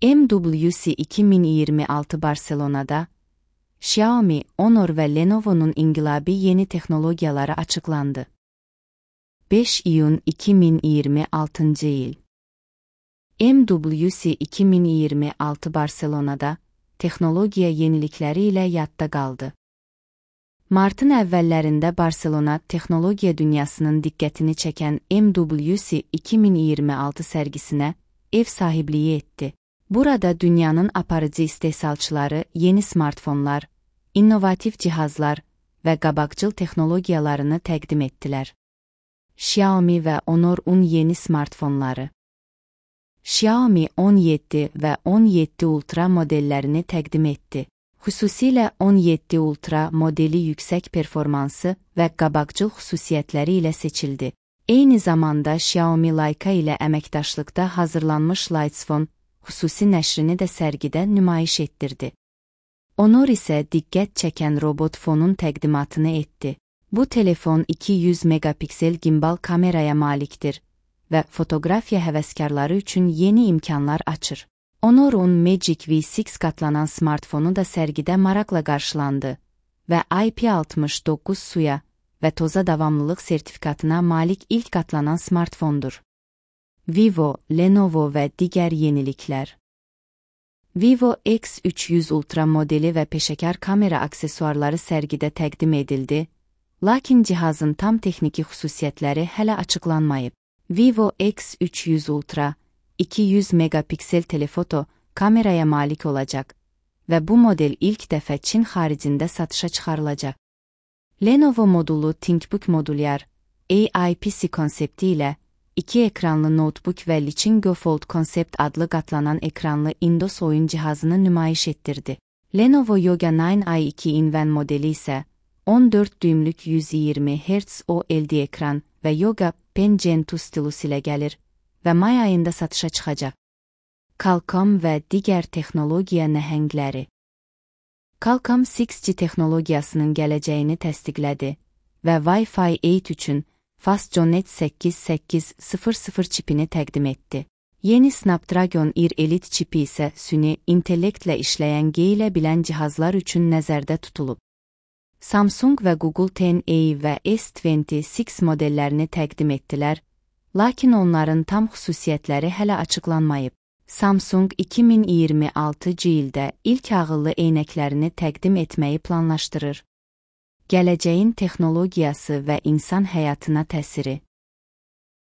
MWC 2026 Barcelona'da, Xiaomi, Honor ve Lenovo'nun inqilabi yeni texnologiyaları açıklandı. 5 iyun 2026 yıl. MWC 2026 Barcelona'da, texnologiya yenilikləri ilə yadda qaldı. Martın əvvəllərində Barcelona texnologiya dünyasının diqqətini çəkən MWC 2026 sərgisinə ev sahibliyi etdi. Burada dünyanın aparıcı istehsalçıları yeni smartfonlar, innovativ cihazlar və qabaqcıl texnologiyalarını təqdim etdilər. Xiaomi və Honor'un yeni smartfonları. Xiaomi 17 və 17 Ultra modellərini təqdim etdi. Xüsusilə 17 Ultra modeli yüksək performansı və qabaqcıl xüsusiyyətləri ilə seçildi. Eyni zamanda Xiaomi Leica ilə əməkdaşlıqda hazırlanmış Lightsphone xüsusi nəşrini də sərgidə nümayiş etdirdi. Honor isə diqqət çəkən robot fonun təqdimatını etdi. Bu telefon 200 megapiksel gimbal kameraya malikdir və fotoqrafiya həvəskarları üçün yeni imkanlar açır. Honor'un Magic V6 qatlanan smartfonu da sərgidə maraqla qarşılandı və IP69 suya və toza davamlılıq sertifikatına malik ilk qatlanan smartfondur. Vivo, Lenovo və digər yeniliklər. Vivo X300 Ultra modeli və peşəkar kamera aksesuarları sərgidə təqdim edildi, lakin cihazın tam texniki xüsusiyyətləri hələ açıqlanmayıb. Vivo X300 Ultra 200 megapiksel telefoto kameraya malik olacaq və bu model ilk dəfə Çin xaricində satışa çıxarılacaq. Lenovo modulu ThinkBook modulyar AIPC konsepti ilə 2 ekranlı notebook və Lichin-Go Fold Concept adlı qatlanan ekranlı Indos oyun cihazını nümayiş etdirdi. Lenovo Yoga 9i2 Inven modeli isə 14 düymlük 120 Hz OLED ekran və Yoga Pen Gen 2 stilus ilə gəlir və may ayında satışa çıxacaq. Qualcomm və digər texnologiya nəhəngləri. Qualcomm 6G texnologiyasının gələcəyini təsdiqlədi və Wi-Fi 8 üçün FastJonet 8800 çipini təqdim etdi. Yeni Snapdragon Ear Elite çipi isə süni intellektlə işləyən geyilə bilən cihazlar üçün nəzərdə tutulub. Samsung və Google 10A və S26 modellərini təqdim etdilər, lakin onların tam xüsusiyyətləri hələ açıqlanmayıb. Samsung 2026 ildə ilk ağıllı eynəklərini təqdim etməyi planlaşdırır. Gələcəyin texnologiyası və insan həyatına təsiri.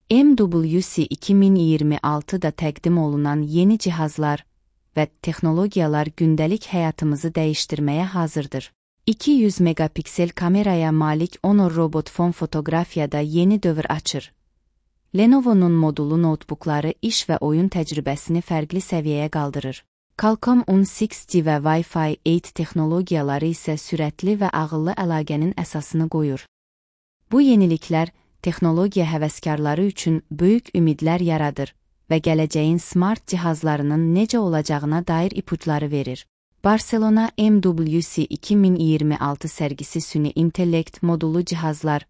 MWC 2026-da təqdim olunan yeni cihazlar və texnologiyalar gündəlik həyatımızı dəyişdirməyə hazırdır. 200 megapiksel kameraya malik Honor robot fon fotoqrafiyada yeni dövr açır. Lenovo'nun modulu notebookları iş və oyun təcrübəsini fərqli səviyyəyə qaldırır. Qualcomm 6G və Wi-Fi 8 texnologiyaları isə sürətli və ağıllı əlaqənin əsasını qoyur. Bu yeniliklər texnologiya həvəskarları üçün böyük ümidlər yaradır və gələcəyin smart cihazlarının necə olacağına dair ipuçları verir. Barcelona MWC 2026 sərgisi süni intellekt modulu cihazlar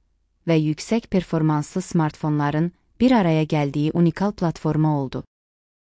və yüksək performanslı smartfonların bir araya gəldiyi unikal platforma oldu.